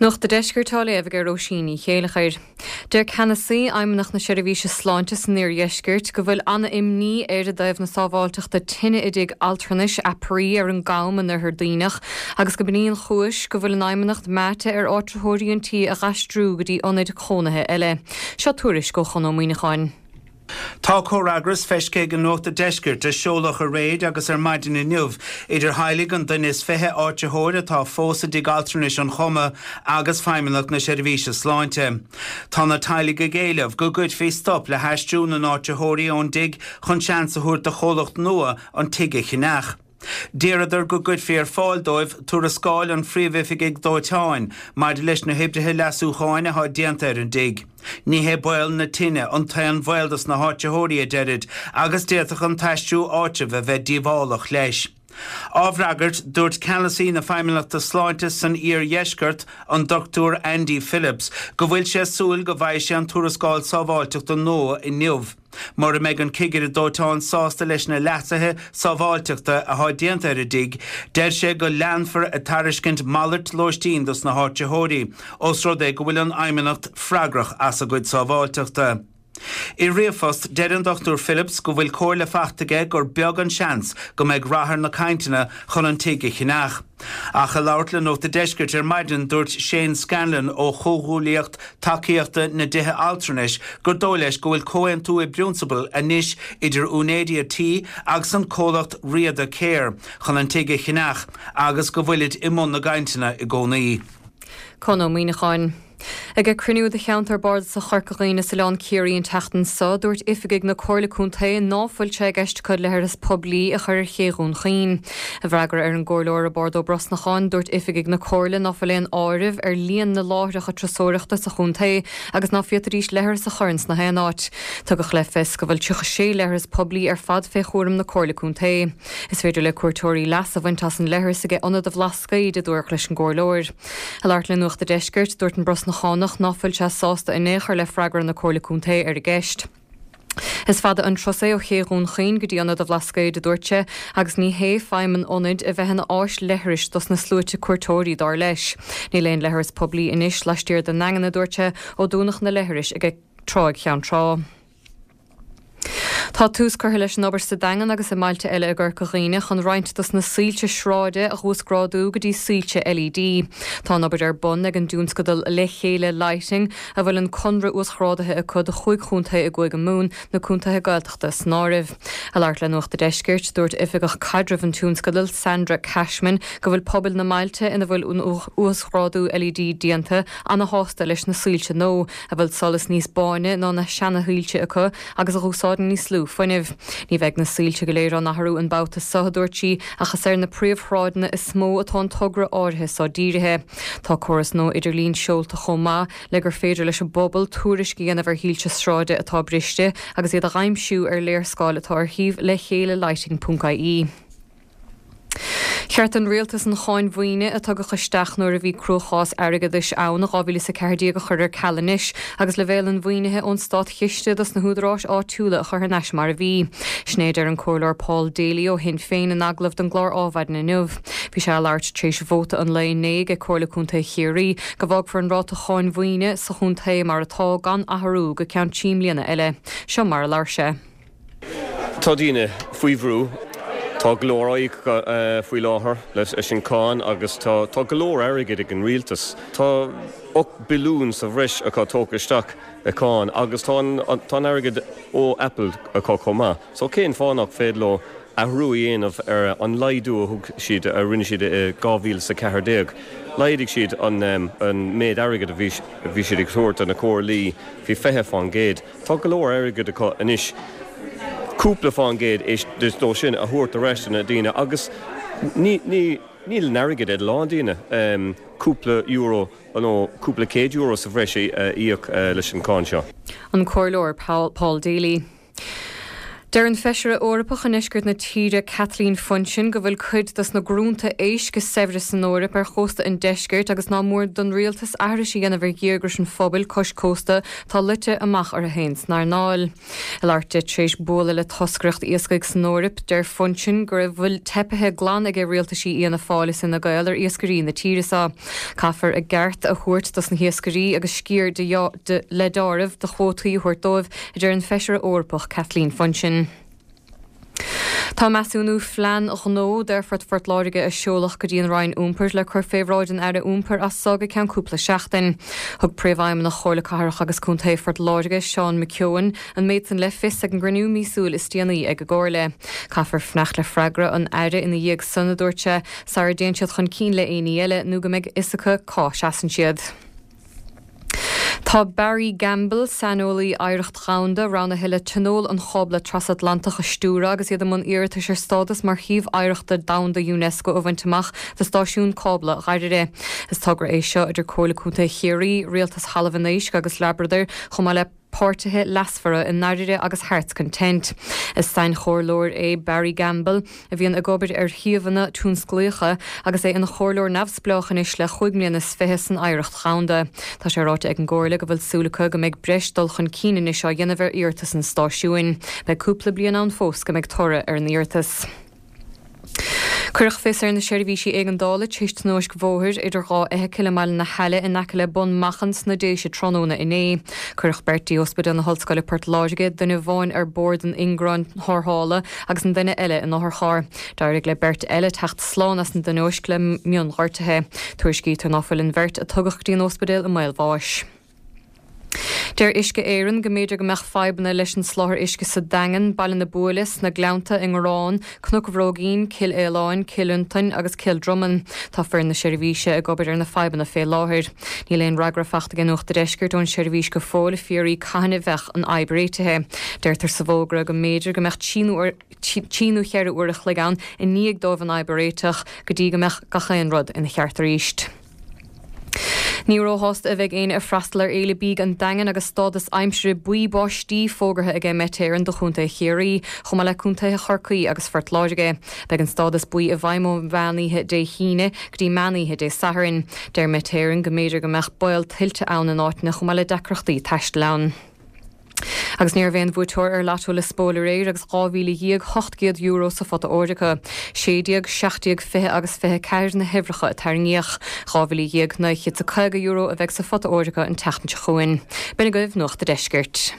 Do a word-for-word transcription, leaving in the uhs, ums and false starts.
Nuacht an Deiscirt á léamh ag Róisín Ní Chéilleachair. Deir ceannasaí Fheidhmeannacht na Seirbhíse Sláinte san Iardheisceart go bhfuil an-imní air i dtaobh na sábháilteachta tine i dtigh altranais Aperee ar an gCam in Oirthear Duibhneach agus go b'in í an chúis go bhfuil an Fheidhmeannacht meáite ar áitritheoirí an tí a dh'aistriú go dtí ionaid chónaithe eile. Seo tuairisc ó Chon Ó Muíneacháin. Tá comhfhreagras feicthe ag Nuacht an Deiscirt a seoladh aréir agus ar maidin inniu idir theaghlaigh an duine is fiche áitritheoir atá fós i dtigh altranais an Choma agus Feidhmeannacht na Seirbhíse Sláinte. Tá na teaghlaigh ag éileamh go gcuirfí stop le haistriú na n-áitritheoirí ón dtigh chun seans a thabhairt do chomhlacht nua an tigh a cheannach. D'iarradar go gcuirfí ar fáil dóibh tuarascáil an phríomhoifigigh dóiteáin maidir leis na hoibreacha leasúcháin atá déanta ar an dtigh. Ní hé baol na tine an t-aon bhaol dos na háitritheoirí a deirid agus d'fhéadfadh an t-aistriú áitribh a bheith díobhálach leis. Á bhfreagairt dúirt ceannasaí na Feidhmeannachta Sláinte san Iardheisceart an Dr Andy Phillips go bhfuil sé ag súil go bhfaighidh sé an tuarascáil sábháilteachta nua inniu. Mura mbeidh an cigire dóiteáin sásta leis na leasuithe sábháilteachta atá déanta ar an dtigh, deir sé go leanfar ag tairiscint malairt lóistín dos na háitritheoirí, ós rud é go bhfuil an Fheidhmeannacht freagrach as a gcuid sábháilteachta. I ríomhphost deir an Dr Phillips go bhfuil comhairle faighte aige gur beag an seans go mbeidh rath ar na cainteanna chun an tigh a cheannach. Ach ag labhairt le Nuacht an Deiscirt ar maidin dúirt Shane Scanlon ó Chomhghuaillíocht Tacaíochta na dTithe Altranais gur dóigh leis go bhfuil comhaontú i bprionsabal anois idir úinéirí an tí agus an comhlacht Riada Care chun an tigh a cheannach agus go bhfuilid i mbun na gcainteanna i gcónaí. Con Ó Muíneacháin. Ag cruinniú de cheantar bardasach Chorca Dhuibhne is Oileán Ciarraí an tseachtain seo dúirt oifigigh na Comhairle Contae ná fuil sé i gceist acu leithreas poiblí a chur ar ché Dhún Chaoin. I bhfreagra ar an gcomhairleoir Roibeárd Ó Brosnacháin dúirt oifigigh na Comhairle ná fuil aon áireamh ar líon na láithreacha turasóireachta sa chontae agus ná féadfaidís leithreas a chur ins na haon áit. Tugadh le fios go bhfuil tríocha sé leithreas poiblí ar fad fé chúram na Comhairle Contae. Is féidir le cuairteoirí leas a bhaint as an leithreas ag Ionad an Bhlascaoid a dúradh leis an gcomhairleoir. Ag labhairt le Nuacht an Deiscirt dúirt an Brosnachánach ná fuil sé sásta in aon chor le freagra na Comhairle Contae ar an gceist. Is fada an turas é ó ché Dhún Chaoin go dtí Ionad an Bhlascaoid a dúirt sé, agus ní hé feidhm an ionaid a bheith ina áis leithris dos na sluaite cuairteoirí dar leis. Níl aon leithreas poiblí anois laistiar den nDaingean a dúirt sé ó dúnadh na leithris ag Tráigh Cheann Trá. Tá tús curtha leis an obair sa Daingean agus i mbailte eile i gCorca Dhuibhne chun roinnt dos na soilse sráide a uasghrádú go dtí soilse LED. Tá an obair ar bun ag an dtionscadal Le Chéile Lighting a bhfuil an conradh uasghrádaithe acu do chúig chontae i gCúige Mumhan na contaetha Gaeltachta san áireamh. Ag labhairt le Nuacht an Deiscirt dúirt oifigeach caidrimh an tionscadail Sandra Cashman go bhfuil pobal na mbailte ina bhfuil an uasghrádú LED déanta an-sásta leis na soilse nua a bhfuil solas níos báine ná na seanashoilse acu agus a úsáideann níos lú fuinnimh. Ní bheidh na soilse go léir á n-athrú an babhta seo a dúirt sí ach is ar na príomhshráideanna is mó atá an togra áirithe seo dírithe. Tá córas nua idirlín seolta chomh maith le gur féidir leis an bpobal tuairisc a dhéanamh ar shoilse sráide atá briste agus iad a aimsiú ar léarscáil atá ar shuíomh le chéile lighting.ie. Cheart an rialtas an cháin mhaoine a tugadh isteach nuair a bhí cruachás airgeadais ann dhá mhíle is a ceathair déag a chur ar ceal anois, agus leibhéal an mhaoinithe ón státchiste dos na húdaráis áitiúla a chur thar n-ais mar a bhí. Sin é a deir an comhairleoir Paul Daly ó Shinn Féin in agallamh don gclár Adhmhaidin inniu. Bhí sé ag labhairt tar éis vóta an lae inné ag Comhairle Contae Chiarraí go bhfágfar an ráta cháin mhaoine sa chontae mar atá gan athrú go ceann trí bliana eile. Seo mar a labhair sé. Tá daoine faoi bhrú Tá go leor á íoc faoi láthair leis an cáin agus tá tá go leor airgid ag an rialtas. Tá ocht billiún sa bhreis acu tógtha isteach i cáin agus tá tá an airgead ó Apple acu chomh maith. So cén fáth nach féidir leo athrú a dhéanamh ar an laghdú a thug siad a rinne siad i dhá mhíle sa ceathair déag. Laghdaigh siad an an méid airgid a bhí bhí siad ag tabhairt do na comhairlí faoi fiche faoin gcéad. Tá go leor airgid acu anois. Cúpla faoin gcéad dó sin a thabhairt ar ais na daoine agus ní ní níl an airgead ag a lán daoine um, cúpla euro nó cúpla céad euro sa bhreis a íoc uh, leis an cáin seo. An comhairleoir Paul, Paul Daly. Deir an Feisire Eorpach i ndeisceart na tíre Kathleen Funchion go bhfuil cuid dos na grúnta éisc is saibhre san Eoraip ar chósta an deiscirt agus ná mór don rialtas aithris a dhéanamh ar dhíograis an phobail cois cósta atá luite amach orthu féin san earnáil. Ag labhairt di tar éis bualadh le toscaireacht iascaigh san Eoraip, deir Funchion go bhfuil teipithe glan ag rialtaisí Fhianna Fáil is Fhine Gael ar iascairí na tíre seo. Caithfear a gceart a thabhairt dos na hiascairí agus sciar de de, le dáileamh de chuótaí a thabhairt dóibh, a deir an Feisire Eorpach Kathleen Funchion. Tá measúnú phlean gnó d'Aerfort Phort Láirge a seoladh go dtí an Roinn Iompair le cur fé bhráid an Aire Iompair as so go ceann cúpla seachtain. Thug Príomhfheidhmeannach Chomhairle Cathrach agus Contae Phort Láirge, Seán McKeown, an méid san le fios ag an gcruinniú míosúil is déanaí ag an gComhairle. Caithfear fanacht le freagra an Aire ina dhiaidh san, a dúirt sé, sara dtéann siad chun cinn le aon ní eile nó go mbeidh fhios acu cá seasann siad. Tá Barry Gamble, saineolaí oidhreacht dhomhanda, roghnaithe le Tionól an Chábla Trasatlantach a stiúradh agus iad i mbun iarratais ar stádas mar shuíomh oidhreachta domhanda Unesco a bhaint amach do stáisiún cábla Dhoire. Is togra é seo idir Comhairle Contae Chiarraí, Rialtas Thalamh an Éisc agus Labrador, chomh maith le páirtithe leasmhara i nDoire agus Hearts Content. Is sainchomhairleoir é Barry Gamble, a bhíonn ag obair ar shuíomhanna tionsclaíocha agus é ina chomhairleoir neamhspleách anois le chúig mbliana is fiche san oidhreacht dhomhanda. Tá sé ráite ag an gComhairle go bhfuil súil acu go mbeidh breis dul chun cinn anois á dhéanamh ar iarratas an stáisiúin. Beidh cúpla bliain ann fós go mbeidh toradh ar an iarratas. Cuireadh fios ar na seirbhísí éigeandála tar éis tionóisc bhóthair idir dhá fheithicil i mBaile na hAille in aice le Bun Machan sna Déise tráthnóna inné. Cuireadh beirt dtí Ospidéal na hOllscoile Port Láirge, duine amháin ar bord an ingearáin tharrthála agus an duine eile in otharcharr. D'éirigh le beirt eile teacht slán as an dtionóisc le mionghortuithe. Tuairiscítear ná fuil an bheirt a tugadh go dtí an ospidéal i mbaol bháis. Deir Uisce Éireann go mb'fhéidir go mbeadh fadhbanna leis an soláthar uisce sa Daingean, Baile na Buaile, sna Gleannta i nGarrán, Cnoc an Bhróigín, Cill Aoláin, Cill Fhionntain agus Cill Dromann. Tá foireann na seirbhíse ag obair ar na fadhbanna fé láthair. Níl aon fhreagra faighte ag Nuacht an Deiscirt ón seirbhís go fóill ag fiafraí cathain a bheadh an fhadhb réitithe. Deirtear sa bhfógra go mb'fhéidir go mbeadh trí nó cheithre uair a chloig ann i ndiaidh dóibh an fhadhb a réiteach go dtí go mbeadh gach aon rud ina cheart arís. Ní róshásta a bheidh éinne ag freastal ar Fhéile Bídh an Daingin agus stádas aimsire buí báistí fógartha ag Met Éireann do Chontae Chiarraí, chomh maith le contaetha Chorcaí agus Phort Láirge. Beidh an stádas buí i bhfeidhm ó mheánoíche Dé hAoine go dtí meánoíche Dé Sathairn. Deir Met Éireann go mb'fhéidir go mbeadh baol tuilte ann in áiteanna chomh maith le deacrachtaí taistil ann. Agus ní raibh aon bhuaiteoir ar Lotto Liospóil aréir agus dhá mhíle dhéag ocht gcéad euro sa phota óir acu. Sé déag, seacht déag, fiche agus fiche ceathair na huimhreacha a tarraingíodh. Dhá mhíle dhéag naoi chéad is caoga euro a bheidh sa phota óir acu an tseachtain seo chugainn. B'in agaibh Nuacht a' Deiscirt.